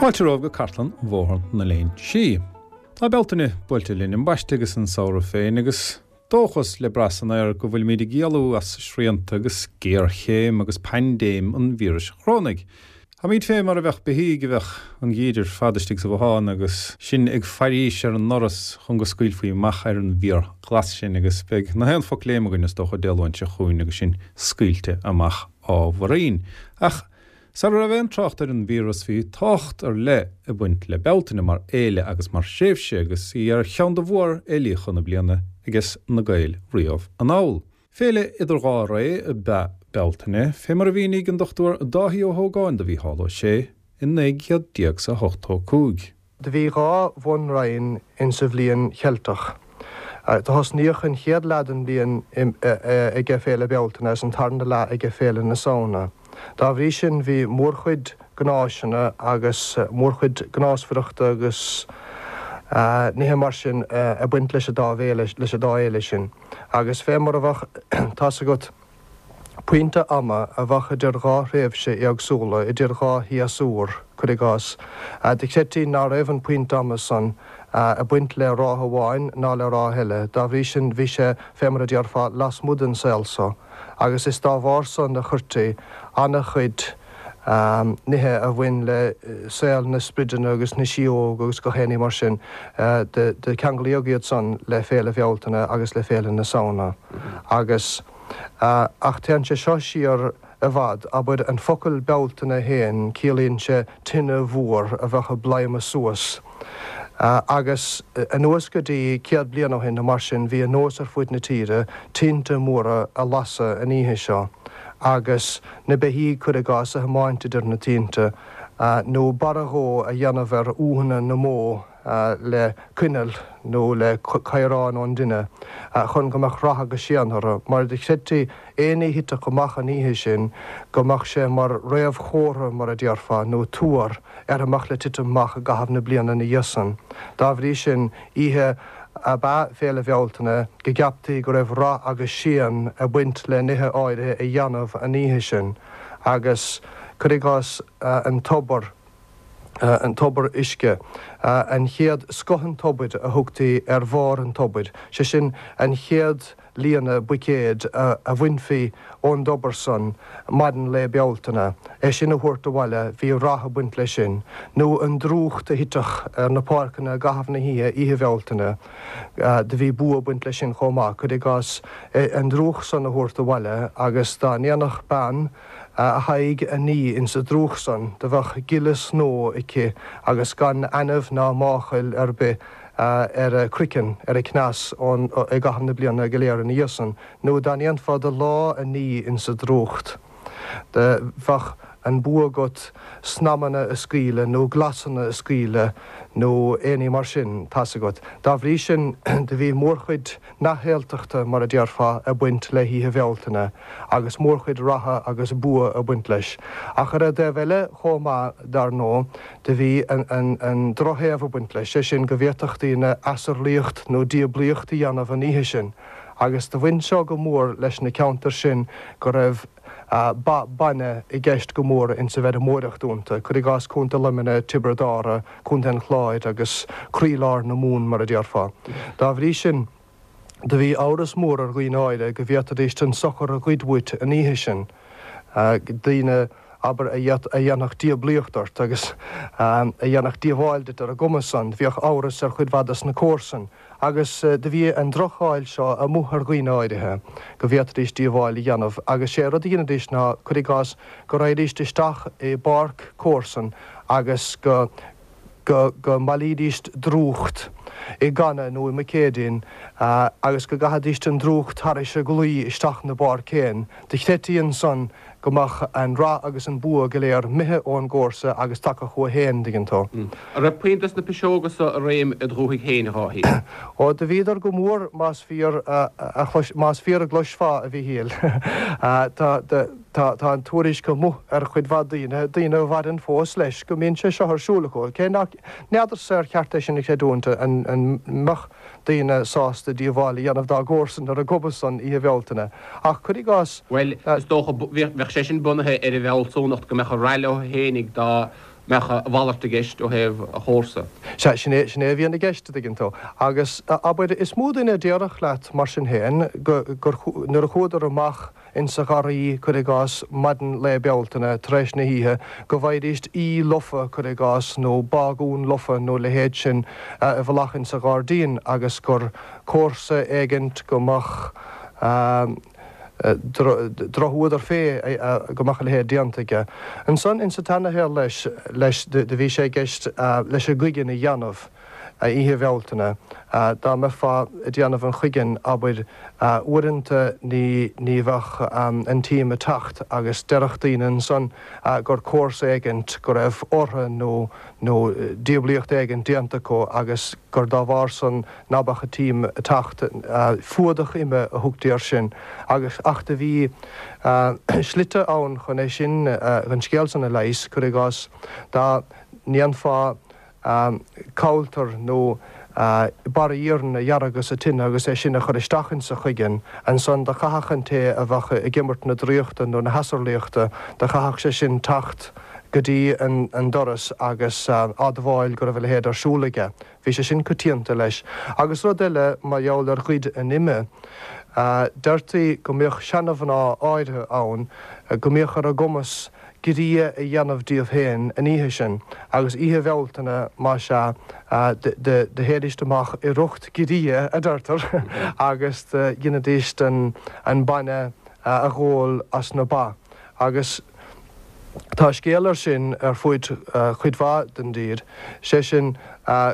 Fáilte romhaibh go cartlann Bhóthar na Léinsí. Tá Bealtaine buailte linn ambaiste agus an samhradh féin agus dóchas le brath san aer go bhfuilimid ag éalú as srianta agus géarchéim agus paindéim an víris chorónaigh. Táimid fé mar a bheadh beithígh a bheadh an geimhreadh ar fad istigh sa bhothán agus sinn ag fairís ar an ndoras chun go scaoilfí amach ar an bhfíorghlas sinn agus beidh na haon phocléim againn is dócha Dé Luain seo chugainn agus sinn scaoilte amach ábhairín. Ach sara raibh aon trácht ar an víreas bhí tábhacht ar leith ag baint le Bealtaine mar fhéile agus mar thréimhse agus í ar cheann de mhórfhéilíocha na bliana ages na Gaeil riamh anall. Féile idir dhá ré ab ea Bealtaine, fé mar a mhínigh an Dr Dáithí Ó hÓgáin do Mhícheál Ó Sé i 1985. Do bhí dha bhun-roinn insa bhliain Cheilteach. Do thosnaíodh an chéad leath den bhliain aige Féile Bealtaine agus an tarna leath aige Féile na Samhna. Dá bhrí sin bhí mórchuid gnáiseanna agus mórchuid gnásmhaireachta agus nithe mar sin ag baint leis an dá bhféile, leis an dá fhéile sin. Agus fé mar a bheadh, tá's agat, pointe ama a bheadh idir dhá thréimhse éagsúla, idir dhá shéasúr, cuir i gcás, do chreidtí ná raibh an pointe ama san ag baint le ráithe amháin ná le ráithe eile. Dá bhrí sin bhí sé, fé mar a déarfá, lasmuigh den saol so. Agus is dá bharr san a chuirtí ana-chuid nithe a bhain le saol na sprideanna agus na síóg agus gach aon ní mar sin, do ceanglaíodh iad san le Féile Bhealtaine agus le Féile na Samhna. Agus, ach téann sé seo siar i bhfad, abair, an focal Bealtaine féin, ciallaíonn sé tine mhór a bheadh ag bladhmadh suas. Agus anuas go dtí 100 bliain ó shin nó mar sin, bhí an nós ar fuaid na tíre tinte móra a lasadh an oíche seo. Agus na beithígh, cuir i gcás, a thiomáint idir na tinte, nó barra dhó a dhéanamh ar úthanna na mbó le coinneal nó le caorán ón dtine, chun go mbeadh rath agus séan orthu, mar do chreidtí aon ní a thitfeadh amach an oíche sin go mbeadh sé mar réamhchomhartha, mar a déarfá, nó tuar ar a mbeadh le titim amach i gcaitheamh na bliana ina dhiaidh san. Dá bhrí sin, oíche ab ea Féile Bhealtaine, go gceaptaí go raibh rath agus séan ag baint le nithe áirithe a dhéanamh an oíche sin, agus, cuir i gcás, an tobar, an tobar uisce, an chéad scoth an tobair a thugtaí ar bharr an tobair, sé sin, an chéad líonadh buicéid a bhainfí ón dtobar san maidin lae Bealtaine, é sin a thabhairt abhaile, bhí rath ag baint leis sin. Nó an drúcht a thitfeadh ar na páirceanna i gcaitheamh na hoíche, Oíche Bhealtaine, do bhí bua ag baint leis sin chomh maith. Cuir i gcás, an drúcht san a thabhairt abhaile agus dá ndéanfadh bean a haghaidh a ní insa drúcht san, do bheadh gile snó aici agus gan ainimh ná máchail ar bith ar a croiceann, ar a cneas ón i gcaitheamh na bliana go léir ina dhiaidh san, nó dá ndéanfá do lámha a ní insa drúcht, do bheadh an bua agat snaidhmeanna a scaoileadh nó glasanna a scaoileadh nó aon ní mar sin, tá's agat. Dá bhrí sin, do bhí mórchuid neamhshaoltachta, mar a déarfá, ag baint le hOíche Bhealtaine, agus mórchuid ratha agus bua ag baint leis. Ach ar an dtaobh eile chomh maith, dar ndóigh, Do bhí an drochthaobh ag baint leis, sé sin go bhféadfadh daoine asarlaíocht nó diablaíocht a dhéanamh an oíche sin, agus do bhain seo go mór leis na ceantair sin go raibh ba bainne i gceist go mór insa bhfeirmeoireacht iontu, cuir i gcás Contae Luimnigh, Tiobraid Árann, Contae an Chláir agus croílár na Mumhan mar a déarfá. Dá bhrí sin. Do bhí amhras mór ar dhaoine áirithe go bhféadfaidíst an sochar a ghoid uait an oíche sin, daoine, abair, a dhéanfadh diablaíocht ort agus a dhéanfadh díobháil duit ar an gcuma san. Bhíodh amhras ar chuid mhaith dos na comharsain agus do bhí an droch-cháil seo amuigh ar dhaoine áirithe go bhféadfaidís díobháil a dhéanamh agus sé rud a dheinidís ná, cuir i gcás, go raghaidíst isteach i bpáirc comharsan agus go. go go mbailídíst drúcht i gcanna nó i mbuicéidín agus go gcaithidíst an drúcht thairis an gclaí isteach 'na bpáirc féin. Do chreidtí ansan go mbeadh an rath agus an bua go léir 'mithe ón gcomharsa agus tagtha chucu féin, dtuigeann tú. An raibh puinn dos na piseoga so i réim id dhúthaigh féin, a Dháithí? Ó, do bhíodar go mór, más fíor a chlois, más fíor a gcloisfeá, a Mhíchíl. Tá, do. Tá an tuairisc amuigh ar chuid mhaith daoine, daoine a mhaireann fós leis, go mbíonn sé seo ar siúl acu. Cé nach, n'fheadarsa ar cheart é sin a chreidiúint, an mbeadh daoine sásta díobháil a dhéanamh dá gcomharsain ar an gcuma san Oíche Bhealtaine. Ach cuir i gcás. Bhuel, is dócha, bheadh sé sin bunaithe ar an bhfealsúnacht go mbeadh an rath leo fhéinig dá. mbeadh a mhalairt i gceist ó thaobh a chomharsa. Sea, sin é, sin é a bhíonn i gceist, a dtuigeann tú. Agus, abair, is mó duine a déarfadh leat, mar sin féin, go, gur, nuair a chuadar amach insa gharraí, cuir i gcás, maidin lae Bealtaine, tar éis na hoíche, go bhfaighidíst í lofa, cuir i gcás, nó bágún lofa nó a leithéid sin i bhfolach insa ghairdín agus gur comharsa éigint go mbeadh drochfhuadar fé go mbeadh a leithéid déanta aige. Ansan insa tseanashaol leis, leis, do bhí sé i gceist leis an gcuigeann a dhéanamh. Oíche Bhealtaine. Dá mbeifeá ag déanamh an chuiginn, abair, uaireanta ní ní bheadh an t-im ag teacht agus déarfadh daoine ansan gur comharsa éigint go raibh ortha nó nó diablaíocht éigint déanta acu agus gur dá bharr san ná beadh an t-im ag teacht. Fuadach ime a thugtaí air sin agus ach do bhí slite ann chun é sin, an scéal san a leigheas, cuir i gcás, dá ndéanfá cabhaltar nó barra iarainn a dheargadh sa tine agus é sin a chur isteach insa chuigeann. Ansan do chaithfeadh an té a bheadh ag imirt na draíochta nó na hasarlaíochta, do chaithfeadh sé sin teacht go dtí an doras agus admháil go raibh a leithéid ar siúl aige. Bhí sé sin coitianta leis. Agus rud eile mar gheall ar ghoid an ime, deirtí go mbíodh seana-mhná áirithe ann go mbíodh ar a gcumas giorria a dhéanamh díobh féin an oíche sin, agus oíche Bhealtaine, más ea, do théidíst amach i riocht giorria, a deirtear, agus do dheinidíst an bainne a dh'ól as na ba. Agus tá scéal air sin ar fuaid chuid mhaith den dtír, sé sin,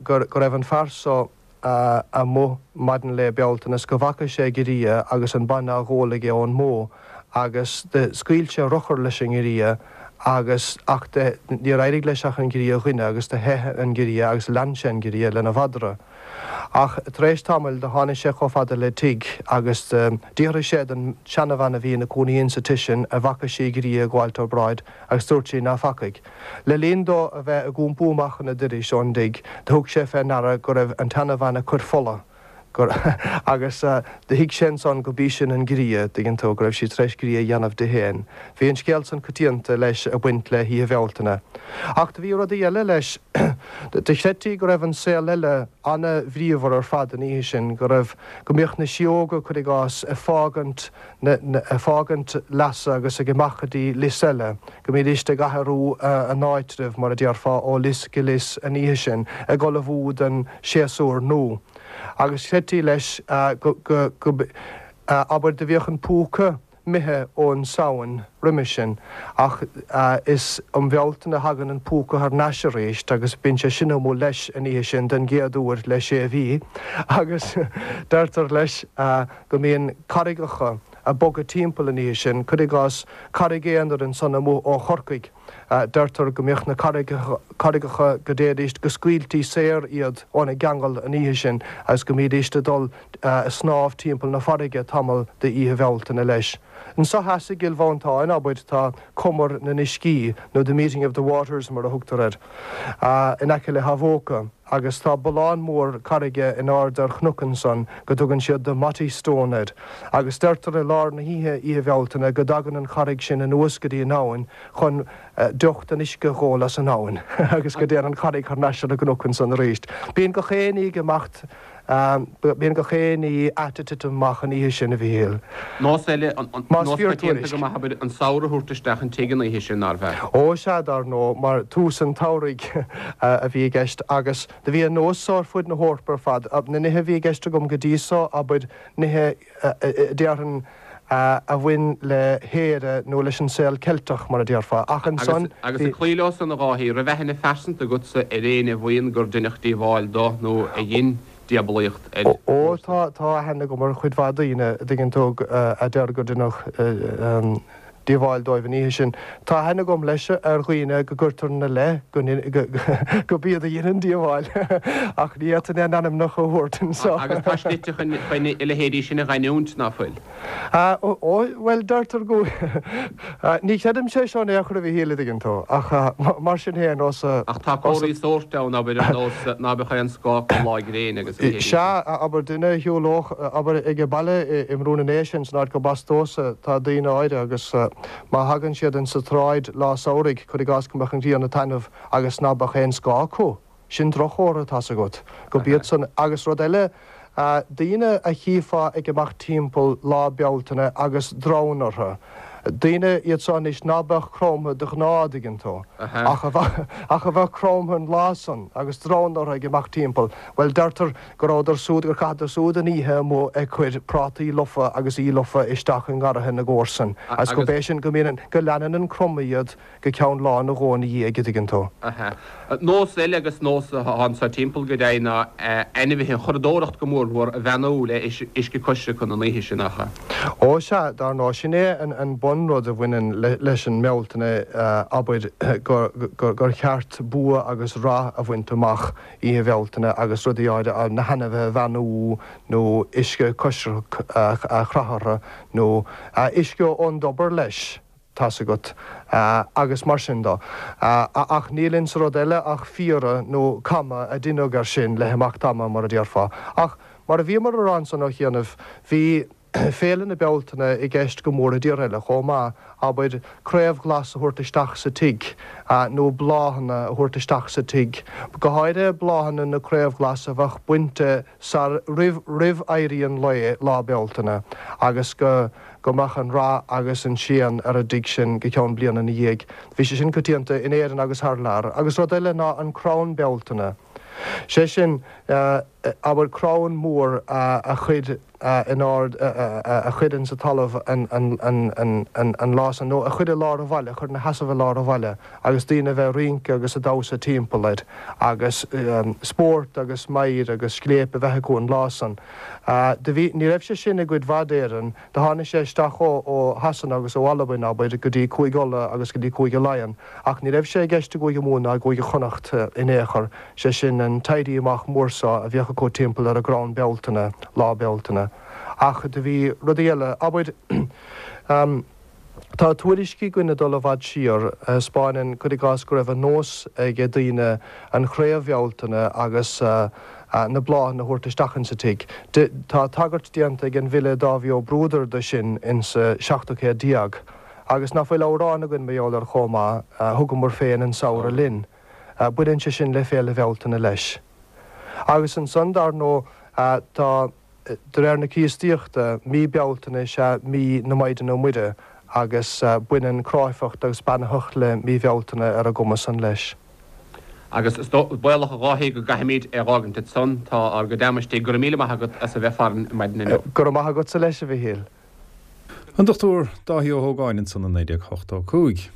go raibh an fear so, amuigh maidin lae Bealtaine is go bhfaca sé giorria agus an bainne á dh'ól aige ón mbó agus do scaoil sé urchar leis an ngiorria agus ach do níor éirigh leis ach an giorria a ghoineadh agus do theith an giorria agus lean sé an giorria lena mhadra. Ach tar éis tamaill do tháinig sé chomh fada le tigh agus do d'fhiafraigh sé den seanabhean a bhí ina cónaí insa tigh sin a bhfaca sí giorria ag gabháilt thar bráid agus dúirt sí ná facaidh. Le linn dó a bheith ag iompú amach chun a doiris ón dtigh, do thug sé fé ndeara go raibh an tseanabhean ag cur fola, gur, agus do thuig sé ansan go b'í sin an giorria, dtuigeann tú, go raibh sí tar éis giorria a dhéanamh di féin. Bhí an scéal san coitianta, leis, ag baint le hOíche Bhealtaine. Ach do bhí rudaí eile, leis. Do chreidtí go raibh an saol eile ana-bhríomhar ar fad an oíche sin, go raibh, go mbíodh na síóga, cuir i gcás, ag fágaint na, ag fágaint leasa agus ag imeacht go dtí lios eile, go mbídíst ag athrú a n-áitribh, mar a déarfá, ó lios go lios an oíche sin, ag ullmhú don séasúr nua. Agus chreidtí leis go, go, go, abair, do bhíodh an púca imithe ón Samhain roimis sin, ach is um Bhealtaine a thagann an púca thar n-ais arís agus bíonn sé sin amuigh leis an oíche sin den gcéad uair le sé mhí agus deirtear leis go mbíonn carraigeacha ag bogadh timpeall an oíche sin, cuir i gcás Carraig Aonair ansan amuigh ó Chorcaigh, deirtear go mbíodh na carraigeacha go dtéidíst go scaoiltí saor iad óna gceangal an oíche sin agus go mbídíst ag dul ag snámh timpeall na farraige tamall d'oíche Bhealtaine leis. Anso theas i gCill Mhantáin, abair, tá Cumar na nUiscí, nó The Meeting of the Waters mar a thugtar air, in aice le hAbhóca, agus tá bullán mór carraige in airde ar chnoc ansan go dtugann siad The Motty Stone air, agus deirtear i lár na hoíche, Oíche Bhealtaine, go dtagann an charraig sin anuas go dtí an abhainn chun deoch den uisce a dh'ól as an abhainn, agus go dtéann an charraig thar n-ais ar an gcnoc ansan arís. Bíonn gach aon ní ag imeacht. Bíonn gach aon ní ait ag titim amach an oíche sin, a Mhíchíl. Nós eile, nós coitianta go maith, abair, an samhradh a thabhairt isteach an tigh an oíche sin, nárbh ea? Ó sea, dar ndóigh, mar tús an tsamhraidh a bhí i gceist agus do bhí an nós so ar fuid na hEorpa ar fad. Na nithe a bhí i gceist agam go dtí so, abair, nithe déarfainn a bhain le hÉire nó leis an saol Ceilteach, mar a déarfá. Ach ansan bhí. Agus ag cloí leo san, a Dháithí, raibh aithne phearsanta agatsa ar éinne a mhaíonn gur deineadh díobháil do nó a dhein diabalaíocht ar Ó, tá, tá aithne agam ar chuid mhaith daoine, a dtuigeann tú, a deir gur deineadh díobháil dóibh an oíche sin. Tá aithne agam leis ar dhaoine go gcuirtear ina leith go go b'iad a dhein an díobháil ach ní fhéadfainn a n-ainmneacha a thabhairt anseo. Agus tá slite chun a leithéidí sin a dh'aithniúint, ná fuil? Ó, bhuel, deirtear go, ní chreidimse é seo in aon chor, a Mhíchíl, a dtuigeann tú, ach mar sin féin, os a. Ach tá comharthaí sóirt ann, abair, ar nós ná beadh aon scáth lá gréine agus a leithéidí sin. Sea, abair, duine a shiúlódh, abair, ag baile i mBrú na nDéise, san áit gurb as domhsa, tá daoine áirithe agus. Má thagann siad insa tsráid lá samhraidh, cuir i gcás go mbeadh an ghrian ag taitneamh agus ná beadh aon scáth acu, sin droch-chomhartha, tá's agat, go b'iad san. Agus rud eile, daoine a chífeá ag imeacht timpeall Lá Bealtaine agus dronn orthu, daoine iad so anois ná beadh cromtha de ghnáth, an dtuigeann tú, ach a bheadh, ach a bheadh cromtha an lá san agus dronn orthu ag imeacht timpeall, bhuel, deirtear go rabhadar súd, gur chaitheadar súd an oíche amuigh ag cur prátaí lofa agus í lofa isteach i ngarraithe na gcomharsan agus go b'é sin go mbíonn an, go leanann an cromadh iad go ceann lá nó dhó ina dhiaidh, an dtuigeann tú. Aha. Nós eile agus nós atá anso timpeall go deimhin ná ainmhithe, an churadóireacht go mórmhór, a bheannú le uisce coisricthe an oíche sin, nach ea? Ó sea, dar ndóigh, sin é an bunrud a bhaineann leis an mBealtaine, abair, gur cheart bua agus rath a bhaint amach Oíche Bhealtaine agus rudaí áirithe, na hainmhithe a bheannú nó uisce coisricthe a chroitheadh orthu nó uisce ón dtobar leis, tá's agat, agus mar sin de. Ach níl insa rud eile ach fiaradh nó camadh a deineadh air sin le himeacht ama, mar a déarfá. Ach mar a bhíomar a rá ansan ó chianaibh, bhí Féile na Bealtaine i gceist go mór i dtíortha eile chomh maith, abair, craobh ghlas a thabhairt isteach sa tigh, nó bláthanna a thabhairt isteach sa tigh, go háirithe bláthanna na craobh ghlas a bheadh bainte sar, roimh, roimh éirí an lae, Lá Bealtaine, agus go. go mbeadh an rath agus an séan ar an dtigh sin go ceann bliana ina dhiaidh. Bhí sé sin coitianta in Éirinn agus thar lear. Agus rud eile ná an crann Bealtaine. Sé sin, abair, crann mór a chur in ard, a chur insa talamh an lá san, nó a chur i lár an bhaile, a chur ina sheasamh i lár an bhaile agus daoine a bheith ag rince agus ag damhsa timpeall air agus spórt agus meidhir agus scléip a bheith acu an lá san. Do bhí, ní raibh sé sin i gcuid mhaith d'Éirinn, do tháinig sé isteach ó, ó Shasana agus ó Albain, abair, go dtí Cúige Uladh agus go dtí Cúige Laighean, ach ní raibh sé i gceist i gCúige Mumhan ná i gCúige Chonnacht in aon chor, sé sin an t-éirí amach mór so a bhíodh acu timpeall ar an gcrann Bealtaine, Lá Bealtaine. Ach do bhí rudaí eile, abair, Tá tuairiscí againn ag dul i bhfad siar a thaispeáineann, cuir i gcás, go raibh an nós ag daoine an chraobh Bhealtaine agus na bláthanna a thabhairt isteach insa tigh. Tá tagairt déanta ag an bhfile Dáibhí Ó Bruadair do sin insa seachtú céad déag. Agus ná fuil amhrán againn mar gheall air chomh maith, Thugamar féin an samhradh linn. Baineann sé sin le Féile Bhealtaine leis. Agus ansan, dar ndóigh, tá. De réir na Críostaíochta, mí Bealtaine is ea mí na Maighdine Muire agus baineann cráifeacht agus beannaitheacht le mí Bhealtaine ar an gcuma san leis. Agus is baolach a Dháithí go gcaithfimid é dh'fhágaint ansan, tá ár gcuid ama istigh. Go raibh míle maith agat as a bheith farainn maidin inniu. Go raibh maith agatsa leis, a Mhichíl. An Dr Dáithí Ó hÓgáin ansan i 1985.